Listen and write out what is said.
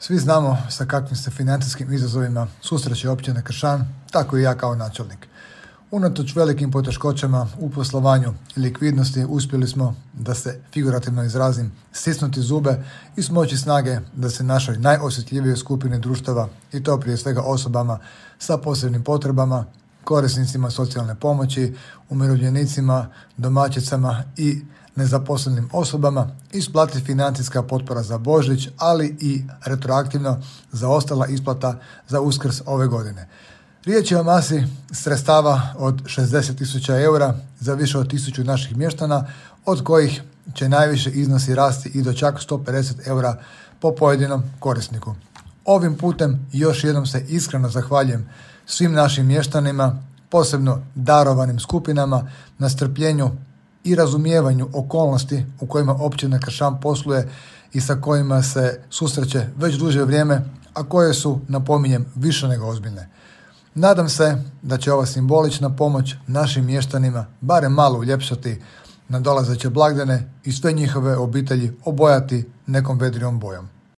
Svi znamo sa kakvim se financijskim izazovima susreće općina Kršan, tako i ja kao načelnik. Unatoč velikim poteškoćama u poslovanju i likvidnosti uspjeli smo, da se figurativno izrazim, stisnuti zube i smoći snage da se našoj najosjetljivijoj skupini društava, i to prije svega osobama sa posebnim potrebama, korisnicima socijalne pomoći, umirovljenicima, domaćicama i nezaposlenim osobama, isplati financijska potpora za Božić, ali i retroaktivno zaostala isplata za Uskrs ove godine. Riječ je o masi sredstava od 60.000 eura za više od 1000 naših mještana, od kojih će najviše iznosi rasti i do čak 150 eura po pojedinom korisniku. Ovim putem još jednom se iskreno zahvaljujem svim našim mještanima, posebno darovanim skupinama, na strpljenju i razumijevanju okolnosti u kojima općina Kršan posluje i sa kojima se susreće već duže vrijeme, a koje su, napominjem, više nego ozbiljne. Nadam se da će ova simbolična pomoć našim mještanima barem malo uljepšati nadolazeće blagdane i sve njihove obitelji obojati nekom vedrijom bojom.